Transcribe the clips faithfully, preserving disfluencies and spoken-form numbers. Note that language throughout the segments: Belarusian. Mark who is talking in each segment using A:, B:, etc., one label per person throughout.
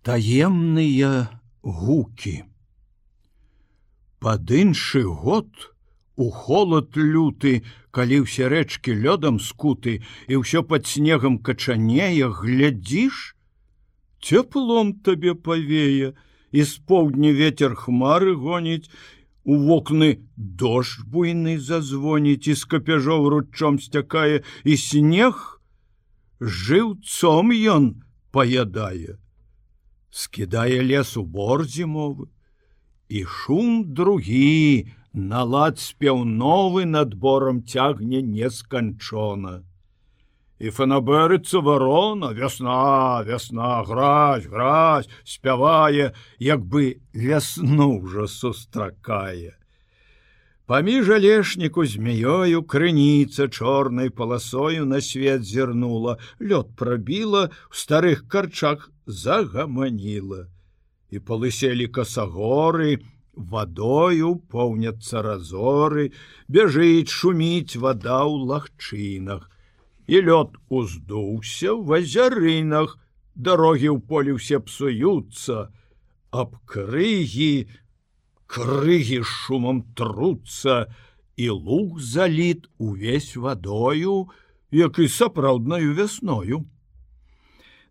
A: Таемныя гукі. Пад іншы год у холад люты, калі ўсе рэчкі лёдам скуты і ўсё пад снегам качанее, глядзіш, цеплом табе павее, і з поўдня ветер хмары гоніць, у вокны дождж буйны зазвоніць, і з капяжоў руччом сцякае, і снег жыўцом ён паядае. Скідае лес у бор зімовы, і шум другі, на лад спеў новы над борам цягне несканчона. І фанабэрыцца варона, вясна, вясна, гразь, гразь, спявае, як бы вясну ўжо сустракае. Паміж алешніку змяёю крыніца чорнай паласою на свет зірнула, лёд прабіла, у старых карчах загаманіла. І палыселі касагоры, вадою поўняцца разоры, бяжыць, шуміць вада ў лагчынах. І лёд уздуўся ў азярынах, дарогі ў полі ўсе псуюцца, аб крыгі, крыгі шумам труцца, і луг заліт увесь вадою, як і сапраўднаю вясною.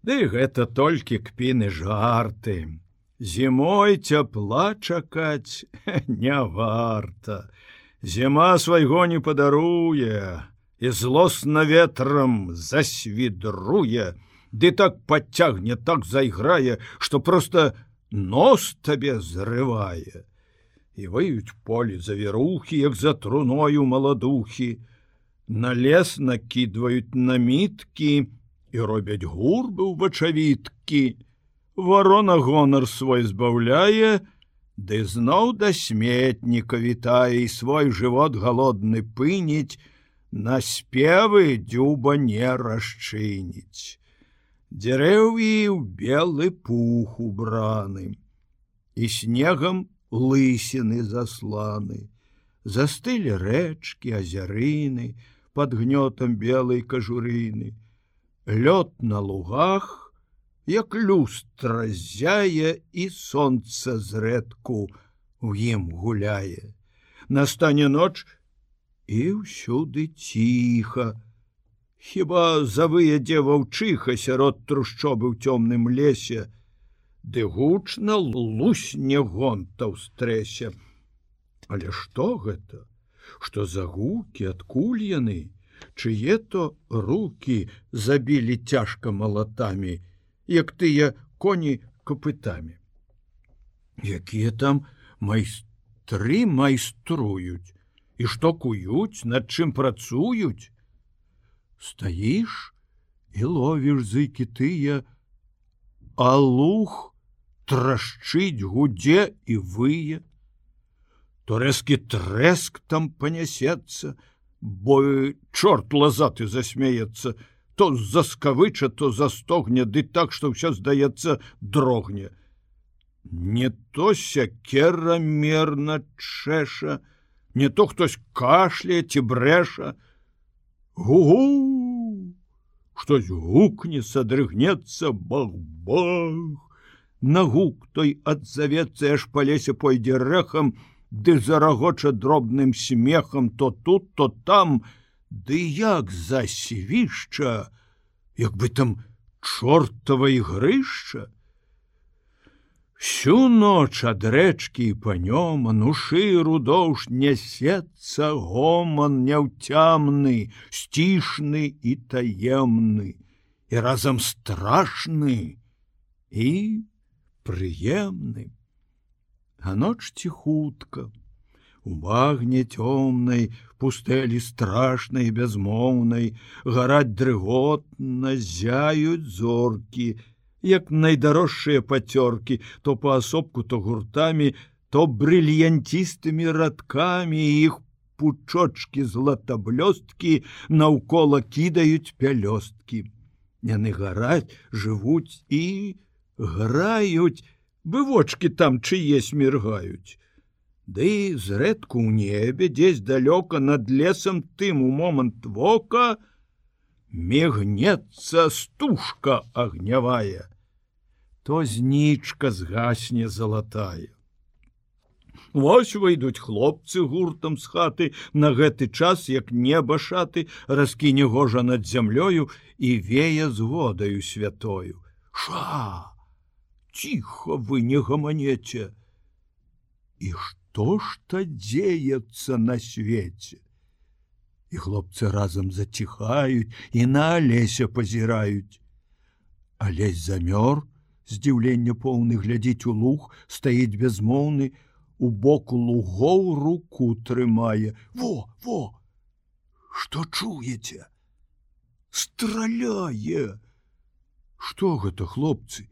A: Ды гэта толькі кпіны жарты. Зімой цяпла чакаць не варта. Зіма свайго не падаруе, і злосна ветрам засвідруе, ды так падцягне, так зайграе, што проста нос табе зрывае. І выюць полі завірухі, як за труною маладухі, на лес накідваюць наміткі і робяць гурбы ў бачавіткі. Варона гонар свой збаўляе, ды зноў да сметніка вітае, і свой жывот галодны пыніць, на спевы дзюба не расчыніць. Дзерэўі ў белы пух убраны, і снегам лысіны засланы, застылі рэчкі, азярыны, пад гнётам белай кажурыны. Лёд на лугах, як люстра зяе, і сонца зрэдку у ім гуляе. Настане ноч, і ўсюды ціха, хіба завыядзе ваўчыха сярод трушчобы ў цёмным лесе, ды гучна лусне гонта ў стрэсе. Але што гэта? Што за гукі, адкуль яны? Чые то рукі забілі цяжка малатамі, як тыя коні капытамі? Якія там майстры майструюць? І што куюць, над чым працуюць? Стаіш і ловіш зыкі тыя, а луг трашчыць, гудзе і вые. То рэзкі трэск там панясецца, бо чорт лазаты засмяецца, то заскавыча, то застогне, ды так, што ўсё, здаецца, дрогне. Не то сякера мерна чэша, не то хтось кашляе ці брэша. Гу-гу! Штось гукне, садрыгнецца, бах-бах. На гук той адзавецца, аж па лесе пойдзе рэхам, ды зарагоча дробным смехам то тут, то там, ды як засвішча, як бы там чортава ігрышча. Всю ноч ад рэчкі і панёман у шыру доўж нясецца гоман няўцямны, сцішны і таемны, і разам страшны і прыемны. А ноч ціхутка, у багне цёмнай, пустэлі страшнай бязмоўнай, гараць дрыготна, зяюць зоркі, як найдарожшыя пацёркі, то паасобку, то гуртамі, то брыльянцістымі радкамі, іх пучочкі златаблёсткі наўкола кідаюць пялёсткі. Яны гараць, жывуць і граюць, бы вочки там чыесь міргаюць. Ды зрэдку ў небе, дзесь далёка над лесам, тым у момант вока мігнецца стужка агнявая. то знічка згасне залатая. Вось выйдуць хлопцы гуртам з хаты, на гэты час, як неба шаты, раскіне гожа над зямлёю і вее згодаю святою. Ша! Ціха вы не гаманеце! І што ж то дзеецца на свеце? І хлопцы разам заціхаюць і на Алеся пазіраюць. Алесь замёр, здзіўлення поўны, глядзіць у луг, стаіць безмоўны, у боку лугоў руку трымае. Во, во! Што чуеце? Страляе! Што гэта, хлопцы?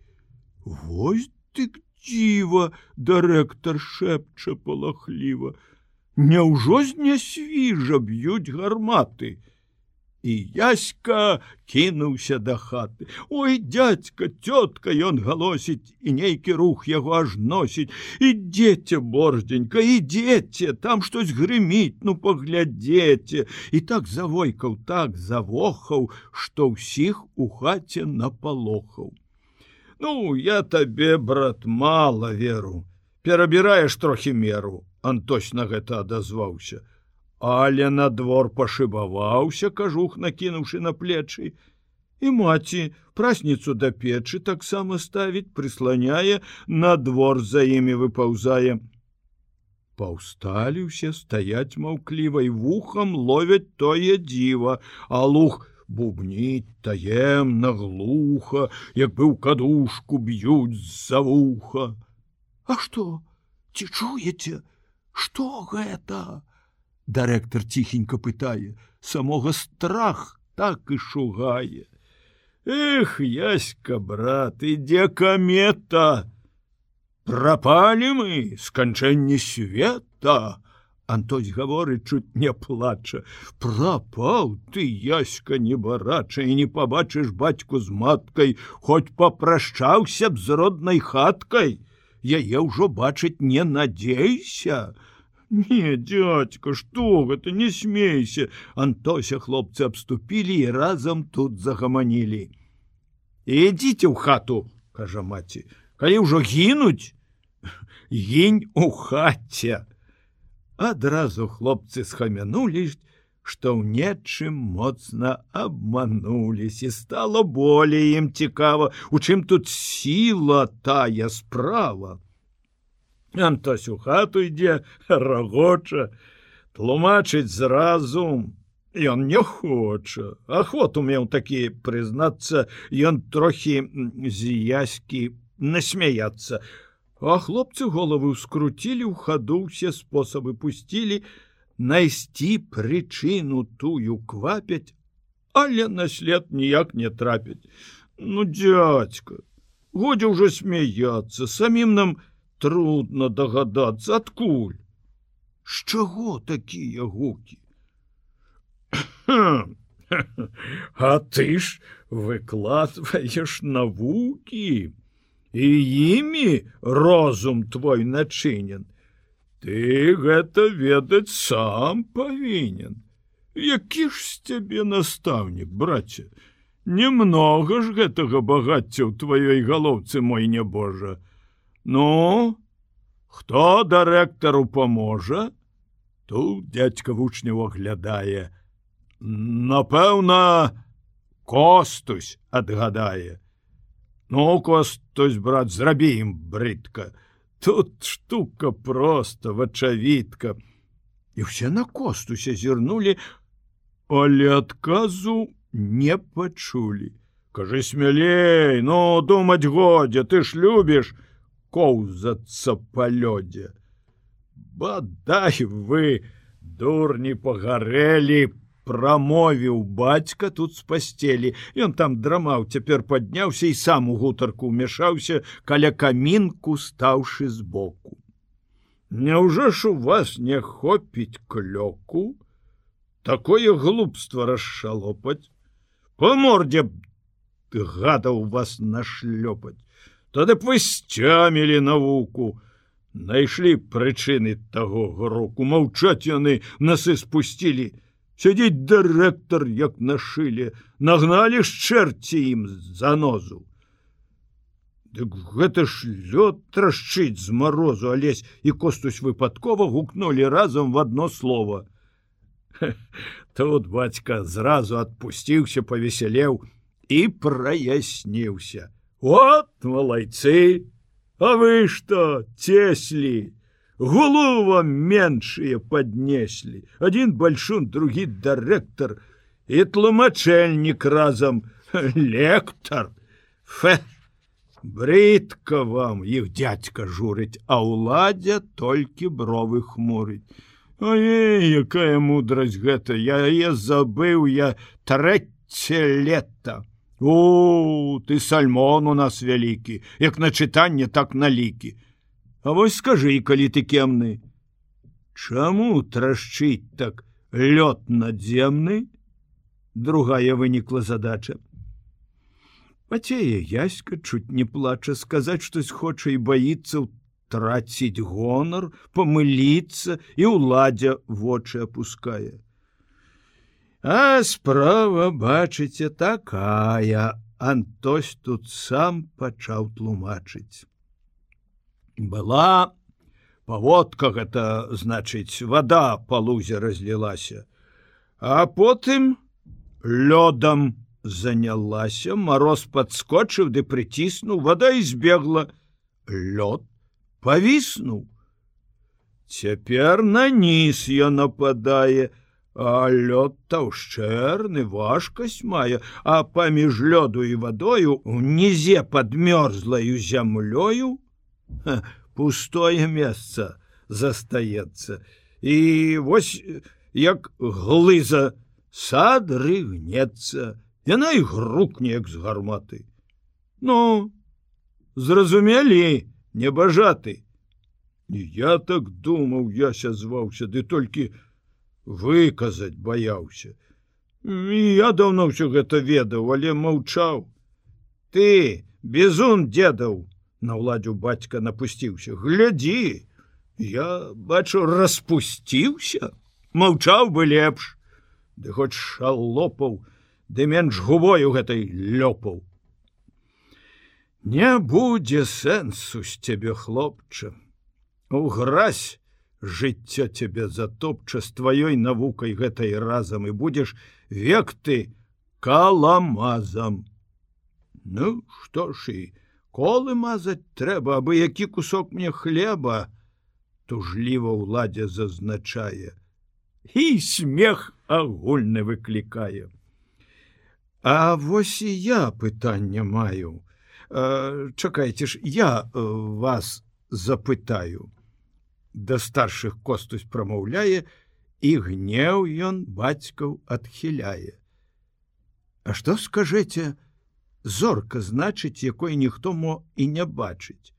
A: Вось дык дзіва, дырэктар шэпча палахліва. Няўжо з нясвіжа б'юць гарматы? І Яська кінуўся да хаты. Ой, дядька, цётка, ён галосіць, і нейкі рух яго аж носіць. Ідзеце, борздзенька, ідзеце, там штось грыміць, ну паглядзеце. І так завойкаў, так завохаў, што ўсіх у хаце напалохаў. Ну, я табе, брат, мала веру. Перабіраеш трохі меру. Антось на гэта адазваўся. Але на двор пашыбаваўся, кажух накінуўшы на плечы. І маці прасніцу да печы таксама ставіць, прысланяе, на двор за імі выпаўзае. Паўсталі ўсе, стаяць маўкліва і вухам ловяць тое дзіва, а луг бубніць таемна, глуха, як бы ў кадушку б'юць з-за вуха. А што? Ці чуеце? Што гэта? Дырэктар ціхенька пытае, самога страх так і шугае. Эх, Яська, брат, ідзе камета. Прапалі мы, сканчэнне света. Антось гаворыць, чуць не плача. Прапаў ты, Яська, небарача, і не пабачыш бацьку з маткай, хоць папрашчаўся б з роднай хаткай. Яе ўжо бачыць не надзейся. Не, дядька, што гэта, не смейся. Антося хлопцы абступілі і разам тут загаманілі. Ідзіце ў хату, кажа маці, калі ўжо гінуць, гінь у хаце. Адразу хлопцы схамянулі, што ў нечым моцна абмануліся, і стала болей ім цікава, у чым тут сіла тая справа. Антось у хату ідзе, рагоча, тлумачыць зразу. Ён не хоча. Ахвоту меў такі, прызнацца, ён трохі з Яські насмяяцца. А хлопцы головы скруцілі, ў хаду ўсе спосабы пусцілі, найсці прычыну тую квапяць, але на след ніяк не трапяць. Ну, дядька, годзе ўжо смяяцца, самім нам трудно догадацца, адкуль. З чаго такія гукі? А ты ж выкладваеш навукі, і імі розум твой начынен. Ты гэта ведаць сам павінен. Які ж з цябе настаўнік, браце? Немнога ж гэтага багацця ў тваёй галоўцы, мой нябожа. Ну, хто дырэктару паможа? Тут дядька вучняў аглядае. Напэўна, Костусь адгадае. Ну, Костусь, брат, зрабі ім брыдка. Тут штука проста, вачавітка. І ўсе на Костуся зірнулі, але адказу не пачулі. Кажы смялей, ну, думаць годзе, ты ж любіш коўзацца па лёдзе. Бадай вы, дурні, пагарэлі, прамовіў бацька тут з пасцелі. Ён там драмаў, цяпер падняўся і сам у гутарку ўмяшаўся, каля камінку стаўшы збоку. Няўжо ж у вас не хопіць клёку? Такое глупства расшалопаць? По морде б гадаў вас нашлёпаць. Тады б вы сцямілі навуку. Найшлі прычыны таго гроку. Маўчаць яны, насы спусцілі. Сядзіць дырэктар, як на шыле. Нагналі ж чэрці ім занозу. Дык гэта ж лёд трашчыць з марозу, Алесь і Костусь выпадкова гукнулі разам в одно слово. Тут бацька зразу адпусціўся, павесялеў і праясніўся. Вот малайцы, а вы што, цеслі? Гулу вам меншыя паднеслі. Один бальшун, другі дырэктар і тлумачэльнік разам, лектар. Фе, брыдка вам, іх дядька журыць, а ўладзя толькі бровы хмурыць. Ой, якая мудрасць гэта, я яе забыў, я трэцяе лета. О, ты сальмон у нас вялікі, як на чытанне, так на лікі. А вось скажы, калі ты кемны, чаму трашчыць так лёд надземны? Другая вынікла задача. Пацее Яська чуть не плача, сказаць штось хоча і баіцца траціць гонар, памыліцца, і ўладзя вочы апускае. А справа, бачыце, такая. Антось тут сам пачаў тлумачыць. Была паводка, гэта значыць, вода па лузе разлілася, а потым лёдам занялася, мароз падскочыў ды прыціснуў, вода і збегла, лёд павіснуў. Цяпер на ніз ён нападае, а лёд таўшчэрны, важкасць мае, а паміж лёду і вадою унізе пад мёрзлаю зямлёю пустое месца застаецца. І вось як глыза сад рыгнецца, яна і грукне, як з гарматы. Ну, зразумелі, небажаты. Я так думаў, Яся зваўся, ды толькі выказаць баяўся. Я даўно ўсё гэта ведаў, але маўчаў. Ты, бізун дзедаў, на ўладзю бацька напусціўся. Глядзі, я, бачу, распусціўся. Маўчаў бы лепш. Ды хоць шалопаў, ды менш губою гэтай лёпаў. Не будзе сэнсу з цябе, хлопча. Угразь, жыццё цябе затопча з тваёй навукай гэтай разам, і будзеш век ты каламазам. Ну, што ж і колы мазаць трэба, абы які кусок мне хлеба, тужліва ўладдзя зазначае. І смех агульны выклікае. А вось і я пытанне маю. А, чакайце ж, я вас запытаю. Да старшых Костусь прамаўляе, і гнеў ён бацькаў адхіляе. А што скажэце, зорка значыць, якой ніхто мо і не бачыць.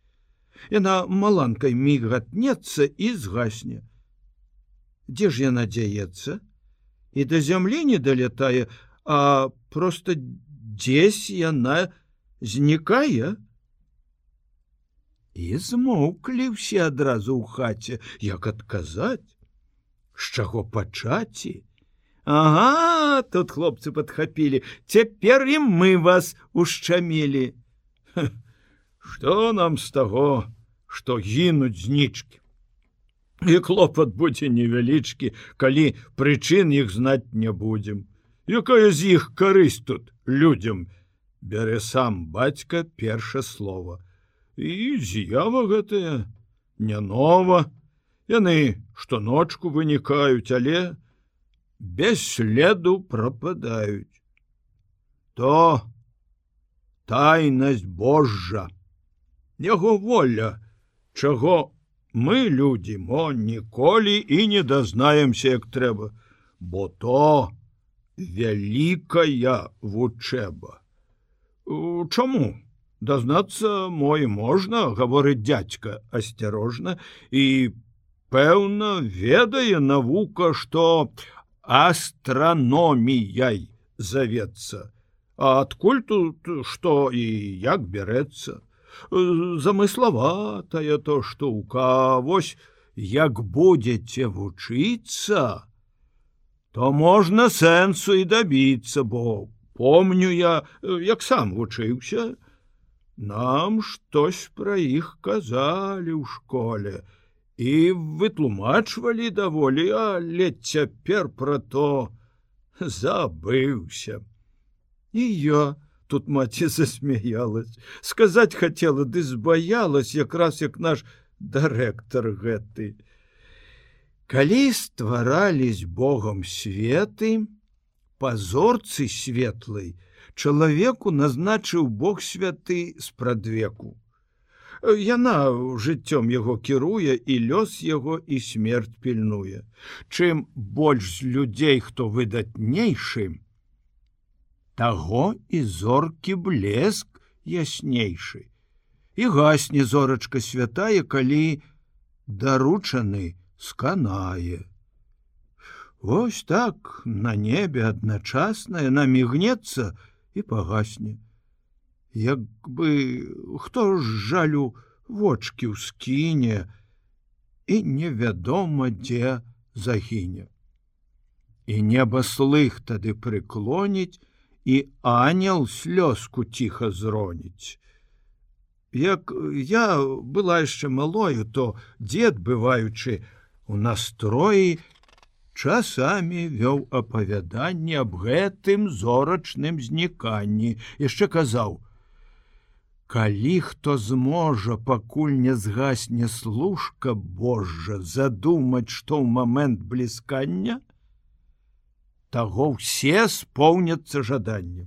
A: Яна маланкай мігатнецца і згасне. Дзе ж яна дзяецца? І да зямлі не далятае, а проста дзесь яна знікае? І змоўклі ўсе адразу ў хаце, як адказаць, з чаго пачаці. Ага, тут хлопцы падхапілі, цяпер і мы вас ушчамілі. Што нам з таго, што гінуць знічкі? І клопат будзе невялічкі, калі прычын іх знаць не будзем. Якая з іх карысць тут людзям? Бярэ сам бацька перша слова. І з'ява гэтая не нова. Яны штоночку вынікаюць, але без следу прападаюць. То тайнасць Божжа, яго воля, чаго мы, людзі, мо ніколі і не дазнаемся, як трэба, бо то вялікая вучэба. Чаму? Дазнацца мой можна, гаворыць дзядзька асцярожна, і, пэўна, ведае навука, што астраноміяй завецца. А адкуль тут што і як бярэцца? Замыславатая то штука, вось як будзеце вучыцца, то можна сэнсу і дабіцца, бо помню я, як сам вучыўся. Нам штось пра іх казалі ў школе і вытлумачвалі даволі, але цяпер пра то забыўся. І я, тут маці засмяялась, сказаць хацела, ды збаялась, якраз як наш дырэктар гэты. Калі стварались Богом светы, па зорцы светлай чалавеку назначыў Бог святы спрадвеку. Яна жыццём яго кіруе, і лёс яго, і смерць пільнуе. Чым больш з людзей, хто выдатнейшы, таго і зоркі блеск яснейшы. І гасне зорачка святая, калі даручаны сканае. Вось так на небе адначасна яна мігнецца і пагасне. Як бы хто ж жалю вочкі ўскіне і невядома, дзе загіне. І неба слых тады прыклоніць, і ангел слёзку ціха зроніць. Як я была яшчэ малою, то дзед, бываючы у настроі, часамі вёў апавяданне аб гэтым зорачным зніканні. Яшчэ казаў: калі хто зможа, пакуль не згасне служка Божа, задумаць, што ў момент бліскання, таго ўсе споўняцца жаданнем.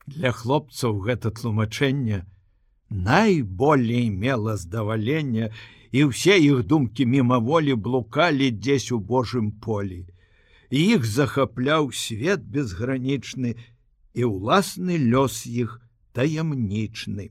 A: Для хлопцаў гэта тлумачэнне найболей мела здавалення, і ўсе іх думкі мімаволі блукалі дзесь у Божым полі. Іх захапляў свет безгранічны, і ўласны лёс іх таямнічны.